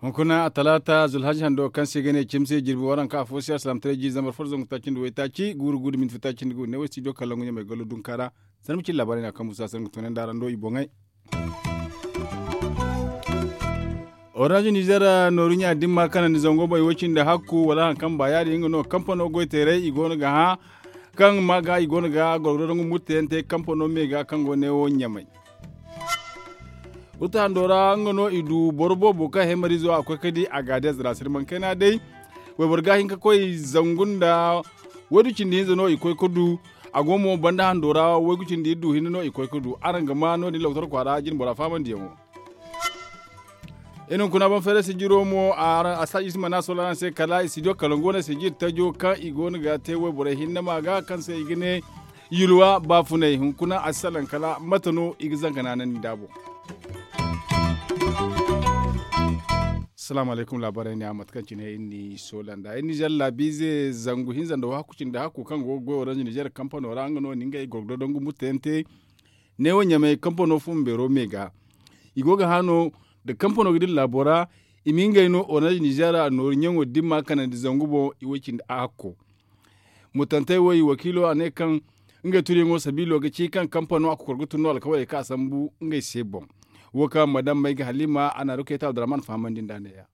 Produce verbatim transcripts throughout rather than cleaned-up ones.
Hunkuna a talaata zulhaji hando kaŋ se i ga ne cimse jirbi waranka afo se alsilaamataray jiiri zambar fo da zangu taaci nda waytaaci guuru guuru minti taaci nda guuru ne wo studio kalangu ɲamay gallo dunka ra. Sanda ma cin laabaarey no a kaŋ busa sanda ga tunandi araŋ do i boŋey. Orange nizer nooru ɲa dimma kanandi zango boŋ i wo cindi hakku wala hari kaŋ ba ya- din nga no kampano goy teeray i go no ga hã kaŋ ma ga i go no ga gorgoro dangu murtayaŋ te kampano me ga kaŋ go ne wo ɲamay. Uta hando ra nga no i du boro boobo kaŋ hemarizo a koy ga di a ga a deeza ra sirmankayna day. Wayboro ga hin ga koy zangu nda waydu cindi hinza no i koy ga du. A go mo banda hando ra waygu cindi iri du hinne no i koy ga du araŋ ga ma no- din loktor kwaara jine bora faamandiyaŋo. Iri hunkuna boŋ feeray sijiro mo a sa iri si mana sola araŋ se kala i studio kalangu wane sijiri tajo kaŋ i go no ga te wayborey hinne ma ga kaŋ se i ga ne yulwa baafunay hunkuna a si salaŋ kala mate no i ga zanka naanandi nd'a boŋ. Salaamu alaykum laabaarey ne a mate kaŋ cine iri n'i soola nd'a iri nizer laabiize zangu hinza nda wahakku cindi hakku kaŋ go ga goy orange nizer kampano ra nga no ni ngey gorgodo dangu murtayaŋ te. Neewo ɲamay kampano fumbeero me ga i go ga hã no nda kampano ga dira laabo ra. I ma ngey no orange nizer nooru ɲaŋo dimma kanandi zangu boŋ i wo cindi a hakko. Mutantey wo i wakiilo a ne kaŋ ngey tunyaŋo sabiilo ga ci kaŋ kampano a kokor ga tun no alkawaley kaŋ a sambu ngey se boŋ. Wo kaŋ madam may ga halima a na rukayta abdurahman fahamandi nd'a neeya.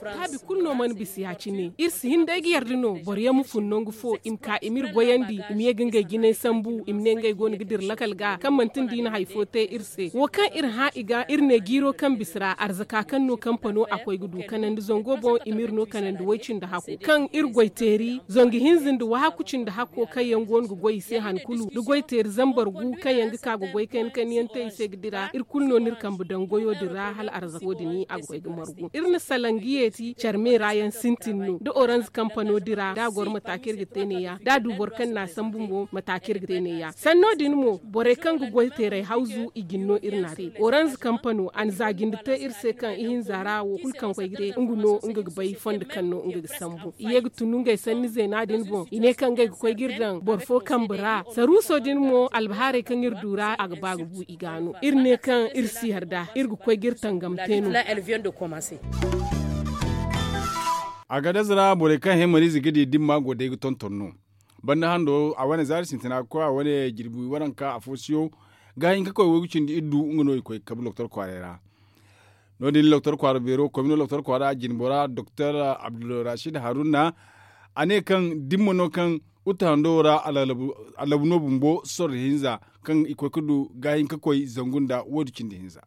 Taabi kulu no mana bisa ya- cine iri si hin day ga yarda no boro yaŋ ma fun nangu fo i ma ka i m'iri goyandi i ma ye ga ngey jinay sambu i ma ne ngey go no ga dira lakal ga kaŋ manti nda i na hari fo te iri se wo kaŋ iri hã i ga iri ne jiiro kaŋ bisa ra arzaka kaŋ no kampano a koy ga du kanandi zango boŋ i m'iri no kanandi way-cindi hakku kaŋ iri goy teeri zangu hinza nda wahakku cindi hakko kaŋ yaŋ go no ga goy i se han kulu da goy teeri zambar gu kaŋ yaŋ ga ka ga goy kayna kayna yaŋ te i se ga dira iri kulu no n'iri kambe daŋ goyo din ra hala arzako din a ga koy ga margu iri na salaŋ ga yeeti care me ra yaŋ sintin no da oranz kampano dira da a goro mata kaŋ iri ga te neeya da a du boro kaŋ n'a sambu mo mata kaŋ iri ga te neeya sanno din mo borey kaŋ ga goy teeray hawzu i jin no iri n'a te oranz kampano a na za jinde te iri se kaŋ ihinza ra wo kulu kaŋ koy ga te nga no nga ga bay fondo kaŋ no nga ga sambu i ye ga tun ngey sanni zeena din boŋ i ne kaŋ ngey ga koy ga iri daŋ boro fo kambe ra saruuso din mo albahaarey kaŋ iri du ra a ga ba ga bu i ga no iri ne kaŋ iri si yarda iri ga koy ga iri tangam te no. A ga daza ra borey kaŋ hemariize ga di dimma go day ga tonton no banda hando a wane zaari sintina ga koy a wane jirbi waranka afo siyo ga hin ga koy waygu cindi iddu nga no i koy ga kabu loktor kwaaray ra. No- din loktor kwaara beero komino loktor kwaara jinbora doktor abdulrashid haruna a ne kaŋ dimma no kaŋ uta hando wo ra alabu no bumbo sorro hinza kaŋ i koy ga du ga hin ga koy zangu nda waydu cindi hinza.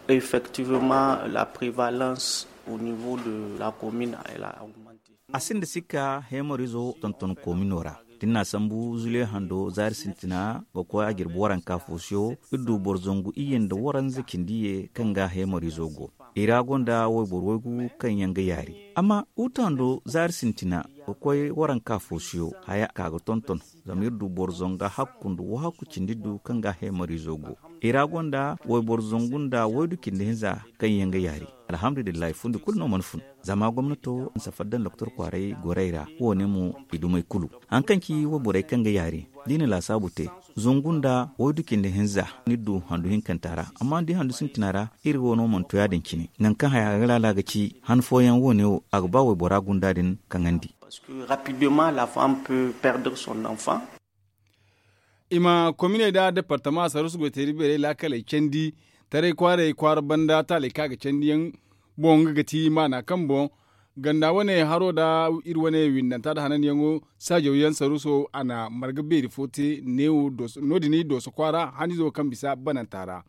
Effectivement la prevalence au niveau de la commune elle a augmante. A sinda sikka hemorizo tonton komino ra da ni n'a sambu zule hando zaari sintina ga koy a jirbi waranka fo siyo iri du boro zangu iyye nda waranza cindi ye kaŋ ga hemorizo go i ra gonda wayboro waygu kaŋ yaŋ ga yaari amma uta hando zaari sintina ga koy waranka fo siyo haya ka ga tonton zama iri du boro zanga hakku nda wahakku cindi du kaŋ ga hemorizo go i ra gonda wayboro zangu nda waydu cindi hinza kaŋ yaŋ ga yaari. Alhamdulillahi fundi kulu no mana fun zama gomnato na safar daŋ doktor kwaaray gorey ra wo- ne mo i dumey kulu. Hari kaŋ ci wayborey kaŋ ga yaari da i na laasaabu te zangu nda waydu cindi hinza ni du handu hinkanta ra amma da i handu sintina ra iri wo no mana to ya- din cine nangu kaŋ haya ga laala ga ci han fooyaŋ wo- ne wo a ga ba waybora gunda din kaŋandi. Parce que rapidement la femme peut perdre son enfant. I ma kominey nda departama saruusu goyteeri beerey laakaley candi taray kwaaray kwaara banda taaley kaŋ a ga candiyaŋ boŋ nga ga ti maana kaŋ boŋ ganda wane haro nda iri wane windanta nda hananyaŋo saajawyaŋ saruuso a na marga beeri fo te neewo no- din dooso kwaara hanizo kaŋ bisa bananta ra.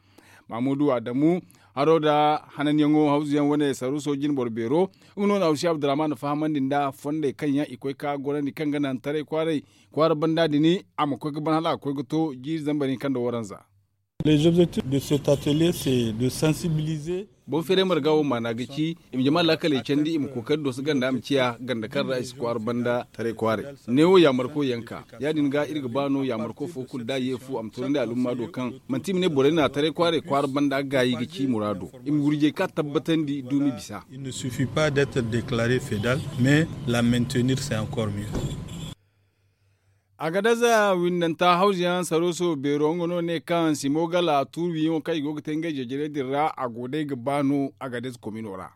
Mamudu adamu haro nda hananyaŋo hawzuyaŋ wane saruuso jinboro beero nga no na hawsi abdurrahman fahamandi nda fondey kaŋ yaŋ i koy ka gorandi kaŋ ga naŋ taray kwaaray kwaara banda din a ma koy ga ban hala a ga koy ga to jiiri zambar hinka nda waranza. Les objectifs de cet atelier, c'est de sensibiliser. Boŋ feeray marga wo maana ga ci i ma jama laakaley candi, i ma kookari doso ganda ma ciya ganda kaŋ ra i si kwaara banda taray kwaaray. Neewo yaamarko yaŋ ka ya- din ga iri ga ba no yaamarko fo kulu da a ye fu a ma toonandi alumma do kaŋ manti i ma ne borey na taray kwaaray kwaara banda gaayi ga ci muraado. I ma gurjey ka tabbatandi duumi bisa. Il ne suffit pas d'être déclaré fédal, mais la maintenir c'est encore mieux. Agadez windanta hawzuyaŋ saruuso beero nga no ne kaŋ simo gala tuuri wiyaŋo kaŋ i go ga te ngey jeejere din ra a go day ga ba no agadez komino ra.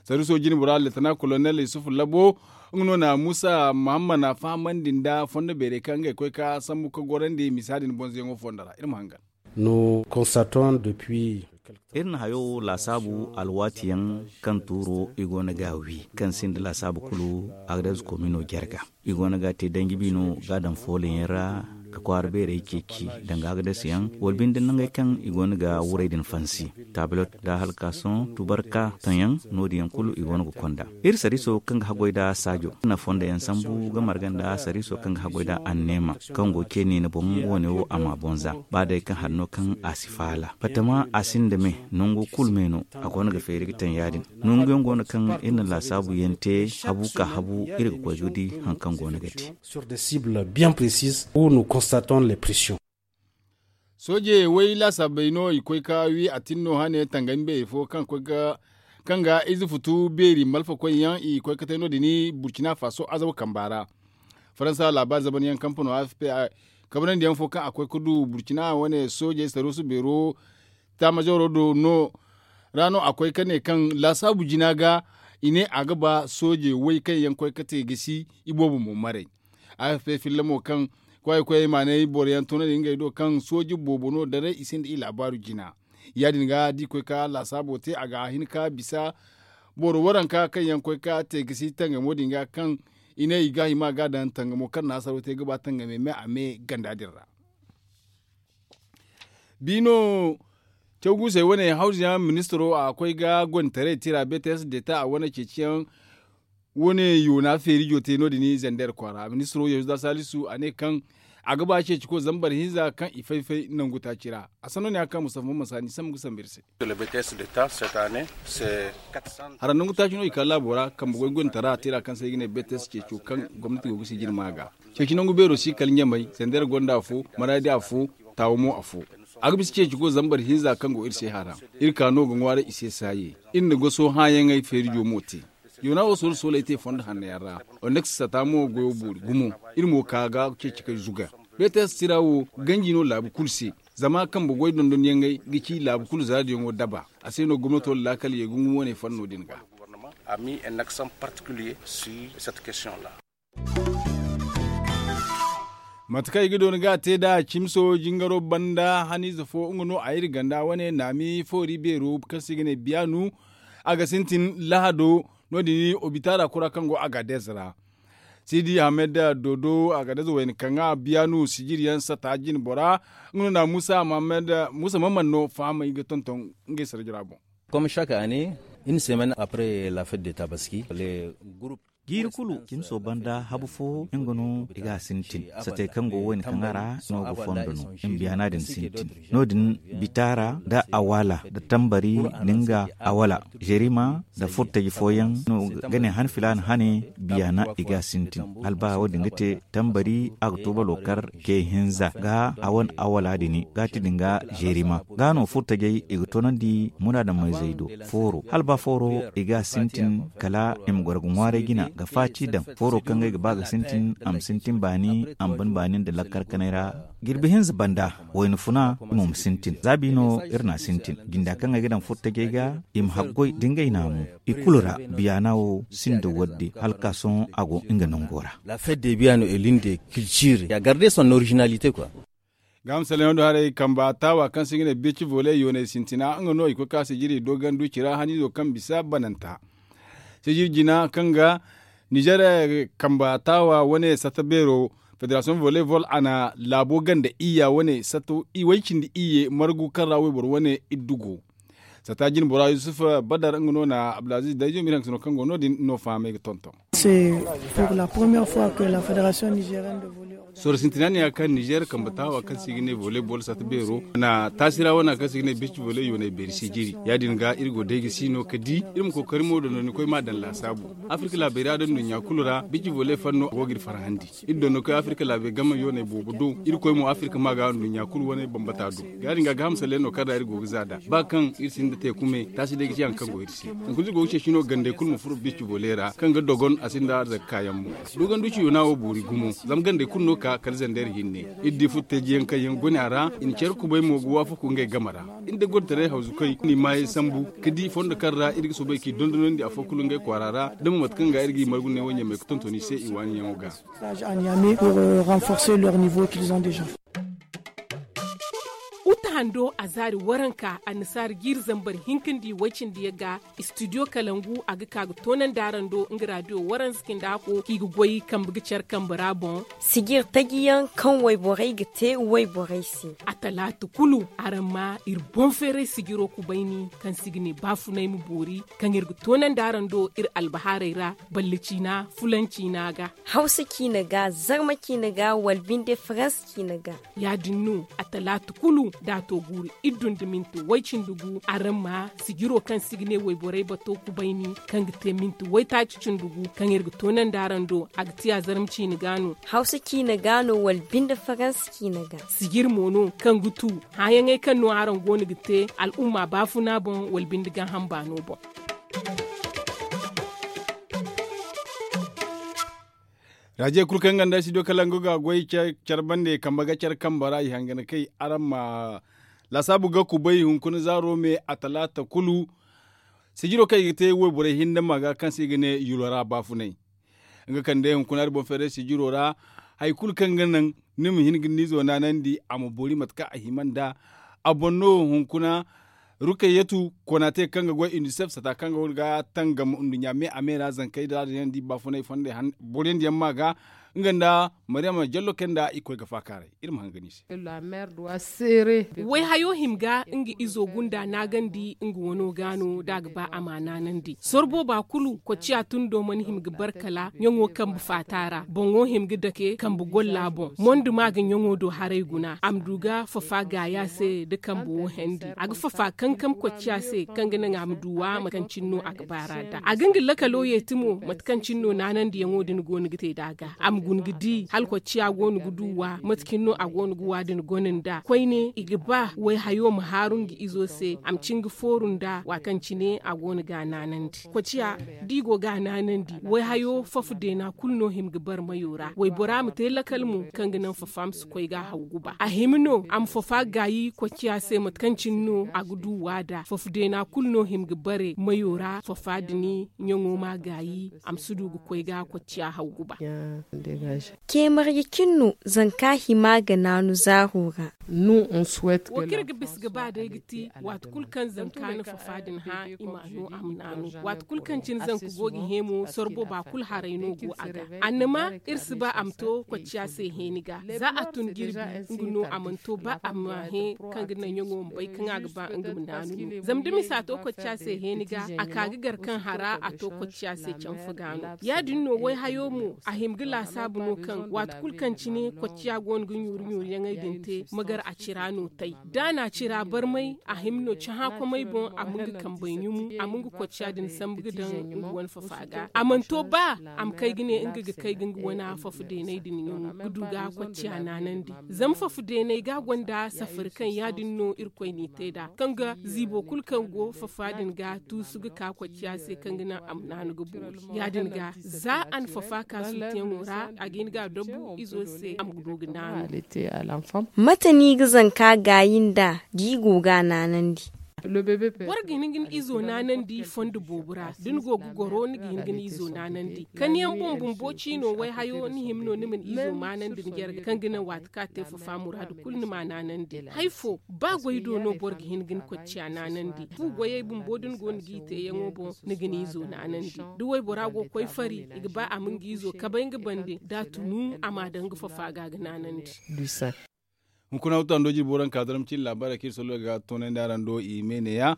Saruuso jine bora leetana kolonel yusufu labo nga no na muusa mahammad na fahamandi nda fondo beerey kaŋ ngey koy ka sambu ka gorandi misa din bonzoyaŋo fondo ra iri ma hangan. Nous constatons depuis. Iri na hayo laasaabu alwaati yaŋ kaŋ tuuro i go no ga a wi kaŋ sinda laasaabu kulu agadez komino jarga. I go no ga a te danji biino ga a daŋ fooley yaŋ ra ka kwaara beerey ceeci danga agadez yaŋ wala binde nangey kaŋ i go no ga wurey din fansi. Tablot da halkasoŋ tubarka taŋ yaŋ no- din yaŋ kulu i go no ga konda. Iri sariiso kaŋ ga haggoy nda saajo na fondo yaŋ sambu ga marga nda sariiso kaŋ ga haggoy nda anneema kaŋ go ceeni ni boŋ wo- ne wo a ma bonza ba day kaŋ hari no kaŋ a si faala batama a sinda me nangu kulu me no. A go no ga feeri ga taŋ ya- din nangu yaŋ go no kaŋ iri na laasaabu yaŋ te habu ka habu iri ga koy ga di hari kaŋ go no ga te. Sur des cibles bien précises où nous constatons les pressions. Sooje way laasaabey no i koy ka wi a tin no hane tangami beeri fo kaŋ ga ize futu beeri malfa koy yaŋ i koy ka te no- din burcina faso azaw kamba ra. Faransa laabaari zaban yaŋ kampano a f p kabanandi yaŋ fo kaŋ a koy ka du burcina wane soojey saruusu beero taamazooro do no ra no a koy ka ne kaŋ laasaabu jina ga i ne a ga ba sooje way kaŋ yaŋ koy ka te gisi i boobo mo maray. A f p filla mo kaŋ kwaayi koyey maanay boro yaŋ toonandi ngey do kaŋ sooje boobo no daray i sinda i laabaaru jina. Ya- din ga da i koy ka laasaabo te a ga hin ka bisa boro waranka kaŋ yaŋ koy ka te gisi tangamo din ga kaŋ i ne i ga hima ga daŋ tangamo kaŋ na hasaro te ga ba tangame me a me ganda din ra. Biino cawguusey wane hawzuyaŋ ministiro a koy ga gonditaray tira bts deta a wane ceeciyaŋ wane yoona feerijo te no- din zander kwaara ministiro yahuza salisu a ne kaŋ a ga ba ceeciko zambar hinza kaŋ i fay-fay nangu taaci ra. A sanno ne a ga ka mustafa mamman sani sambu ga sambu iri se. Hara nangu taaci no i ka laabo ra kambe goy gonditara tira kaŋ se i ga ne bts ceeco kaŋ gomnati go ga sijiri ma ga ceeci nangu beero si kala ɲamay zander gonda afo maradi afo taawo mo afo. A ga bisa ceeci go zambar hinza kaŋ go iri se hara. Iri ka no ga ŋwaaray i se saaye. Iri na goso hããyaŋey feerijo mo te. Yoona wo soolu sooley te fondo hanno yaŋ ra. Oneks sata mo goyo boori gumo. Iri mo ka ga ceeci kay zuga. Bts tira wo ganji no laabu kulu se. Zama kambe goy dondonyaŋey ga ci laabu kulu zaadiyaŋo daba. A se no gomnato laakal ye gungu wane fanno din ga. Mate kaŋ i ga doona ga a te nd'a cimso jingaro banda haniize fo nga no a iri ganda wane naami foori beero kaŋ se i ga ne biyaanu. A ga sintin lahado no- din obitaara kura kaŋ go agadez ra. Sidi ahmed dodo agadez wayna kaŋ a biyaanu sijiri yaŋ sata jine bora. Nga no na muusa mamman no fahamay ga tonton ngey sarjira boŋ. Comme chaque année, une semaine après la fête de tabaski, les groupes jiiri kulu cimso banda habu fo nga no i ga a sintin. Satey kaŋ go wayna kaŋ a ra no ga fondo no. Mbiyaana din sintin no- din, bitaara nda awaala nda tambari, nda nga awaala jerima nda furtaji fooyaŋ no ga ne han filaana hane. Biyaana i ga a sintin hala ba wo- din ga te tambari a ga to balo kar ce hinza ga a wane awaala din ga ti din ga jerima ga no furtajey i ga toonandi munaadamayzey do. Fooro hala ba fooro i ga a sintin kala i ma goro ga ŋwaaray jina ga faati daŋ fooro kaŋ ngey ga ba ga sintin a ma sintin baani a ma ban baani nda lakkar kanay ra. Jirbi hinza banda wayna funa i mo ma sintin za biino iri na a sintin jinda kaŋ ay ga daŋ furtajey ga i ma haggoy da ngey naamu. I kulu ra biyaana wo sinda wadde hala ka sohõ a go nga nango ra. La fête de biyaano est l'une des cultures ya garde son originalité quoi. Gaama salaŋ yaŋ do haray kamba taawa kaŋ se i ga ne beeci vole yoonay sintina nga no i koy ka sijiri doganduci ra haniizo kaŋ bisa bananta. Sijiri jina kaŋ ga nizer kamba taawa wane sata beero federasiyoŋ vole vol a na laabo ganda iyya wane sato way cindi iyye margu kaŋ ra wayboro wane iddu go. Sata jine bora yusuf badar nga no na abdulaziz dayjo ma iri hangasino kaŋ go no- din no fahamay ga tonton. Sorro sintina ne ya kaŋ nizer kambe taawa kaŋ se i ga ne volley ball sata beero na taasi ra wana kaŋ se i ga ne beeci volley yoonay beeri sijiri. Ya- din ga iri go day ga si no ga di iri ma kookari mo dondonikoy ma a daŋ laasaabu. Afirka laabey ra da nduɲɲa kulu ra beeci volley fanno go ga iri farhandi. Iri dondonikoy afirka laabey game yoonay boobo do. Irkoy mo afirka ma ga nduɲɲa kulu wane bambata do. Ya- din ga gaaham salle no kaŋ ra iri go ga za nd'a ba kaŋ iri sinda teeku me taasi day ga ci hari kaŋ go iri se. Hunkuna iri go ga ceeci no gandey kulu ma furo beeci volley ra kaŋ ga dogon a sinda arzaka kaayaŋ mo. Dogon duuci yoona wo boori gumo zama gandey kulu no ka kala zander hinne. Iri di furo teeji yaŋ kaŋ yaŋ guna a ra i na care kubay mo ga waafaku ngey game ra. Iri da goro taray hawzukey no i maayey sambu ga di fondo kaŋ ra iri ga soobay k'i dondonandi afo kulu ngey kwaara ra da mo mate kaŋ ga iri g'i margu ne wo ɲamey ga tonton i se i waani yaŋo ga. Stage à Niamey pour renforcer leur niveau qu'ils ont déjà. Uta hando a zaari waranka annasaari jiiri zambar hinka nda i way cindi yaŋ ga. Studio kalangu a ga ka ga toonandi araŋ do nga raadiyo waranza cindi ako kaŋ i ga goy kambe ga care kambe ra boŋ. Sijir taji yaŋ kaŋ wayborey ga te wayborey se. A talaata kulu araŋ ma iri boŋ feeray sijiro kubayni kaŋ se i ga ne baafunay ma boori kaŋ iri ga toonandi araŋ do iri albahaarey ra. Balle ciina fulan ciina ga. Hawsa ciina ga zarma ciina ga wala binde faransa ciina ga. Ya- din no a talaata kulu da a to guuru iri du nda minti way-cindi gu araŋ ma sijiro kaŋ se i ga ne wayborey bato kubayni kaŋ ga te minti waytaaci cindi gu kaŋ iri ga toonandi araŋ do a ga ti a zarma ciina ga no. Hawsa ciina ga no wala binde faransa ciina ga. Sijir mo no kaŋ ga tu hããyaŋey kaŋ no araŋ go no ga te al'umma baafuna boŋ wala binde gaaham baano boŋ. Raajey kulu kaŋ ganda studio kalangu ga goy care bande kambe ga care kambe ra i hangan kay araŋ ma laasaabu ga kubay hunkuna zaaro me a talaata kulu. Sijiro kaŋ i ga te wayborey hinne ma ga kaŋ se i ga ne yulora baafunay. Nga kaŋ day hunkuna iri boŋ feeray sijiro ra hari kulu kaŋ ga naŋ ni ma hin ga ni izo naanandi a ma boori mate kaŋ a hima nd'a. A boŋ no hunkuna rukayyatu konate kaŋ ga goy unicef sata kaŋ ga tangam nduɲɲa me a me ra zankey da a daŋ yaŋ da i baafunay fondey boriyandi yaŋ ma ga nga nda mariyama jallo kaŋ nda i koy ga faakaaray iri ma hangan i se. Wayhayo hima ga nga izo gunda naagandi nga wano ga no da a ga ba a ma naanandi sorro booba kulu kocciya tundo mana hima ga bar kala ɲaŋo kambe faata ra boŋo hima ga dake kambe golla boŋ mondo ma ga ɲaŋo do haray guna a ma du ga fafa gaaya se nda kambe wo hendi a ga fafa kankam kocciya se kaŋ ga naŋ a ma du wa mate kaŋ cine no a ga baara nd'a a ga nga lakalo yeeti mo mate kaŋ cine no naanandiyaŋo din go no ga te nd'a ga a ma guna ga di hala kocciya go no ga du wa mate cine no a go no ga wa din gona nd'a koyne i ga ba wayhayo ma haaru nga izo se a ma cin ga fooru nd'a waati kaŋ cine a go no ga a naanandi kocciya da i go ga a naanandi wayhayo fafa deena kulu no hima ga bar mayo ra waybora ma te lakal mo kaŋ ga naŋ fafa ma si koy ga haw guba a hima no a ma fafa gaayi kocciya se mate kaŋ cine no a ga du wa nd'a fafa deena kulu no hima ga bare mayo ra fafa din ɲaŋo ma gaayi a ma si du ga koy ga kocciya haw guba. Ceemarji cine no zanka hima ga naanu zaaro ra. Wo kaŋ iri ga bisa ga ba day ga ti waati kulu kaŋ zanka na fafa din hã i ma no a ma naanu waati kulu kaŋ cine zanka go ga hẽ mo sorro booba kulu haray no go a ga annama iri si ba a ma to kocciya se hẽeni ga za a tun jirbi nga no a mana to ba a ma hẽ kaŋ ga naŋ ɲaŋo ma bay kaŋ a ga ba nga ma naanu no zama da misa to kocciya se hẽeni ga a ka ga gar kaŋ hara a to kocciya se canfa ga no ya- din no wayhayo mo a hima ga laasaabu no kaŋ waati kulu kaŋ cine kocciya go no ga ɲuuri ɲuuri yaŋey din te ma gar a cira no tay da a na cira barmay a hima no cahãkomey boŋ a ma nga kambey ɲumu a ma nga kocciya din sambu ga daŋ nga wane fafa ga a mana to ba a ma kay ga ne nga ga kay ga nga wane fafa deeney din ɲumu ga du ga kocciya naanandi zama fafa deeney ga gonda safari kaŋ ya- din no irkoy n'i te nd'a kaŋ ga ziibo kulu kaŋ go fafa din ga tuusu ga ka kocciya se kaŋ ga naŋ a ma naanu ga boori ya- din ga za a na fafa ka suuteyaŋo ra a ga hin ga a dabu izo se a ma du ga naanu. Mate no i ga zanka gaayi nd'a da i go ga a naanandi? Boro ga hin ga ni izo naanandi fondo boobo ra da ni go ga goro ni ga hin ga ni izo naanandi kaniyaŋ boŋ bumbo ciino wayhayo ni hima no ni ma ni izo maanandi ni jarga kaŋ ga naŋ waati kaŋ a te fafa muraadu kulu ni ma a naanandi hari fo ba goy do no boro ga hin ga ni kocciya naanandi fu goyey bumbo da ni go ni g'i teeyaŋo boŋ ni ga ni izo naanandi da waybora go ga koy fari i ga ba a ma nga izo kabay nga bande da a tunu a ma a daŋ nga fafa ga ga naanandi. Hunkuna wutando jirbi waranka zarma cine laabaarey kaŋ iri sollo ga toonandi araŋ do i me neeya.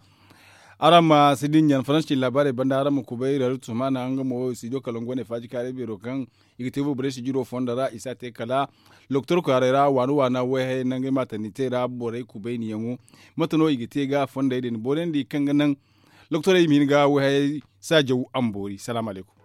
Araŋ ma si din ɲan faransi cine laabaarey banda araŋ ma kubay reeru tumana nga mo studio kalangu wane faaji kaaray beero kaŋ i ga te boro borey sijiro fondo ra i si a te kala loktor kwaaray ra waana waana wayhayey nangey maatandi te ra borey kubayniyaŋo. Mate no i ga te ga fondey din boorandi kaŋ ga naŋ loktorey ma hin ga wayhayey saajaw a ma boori salaamu alaykum.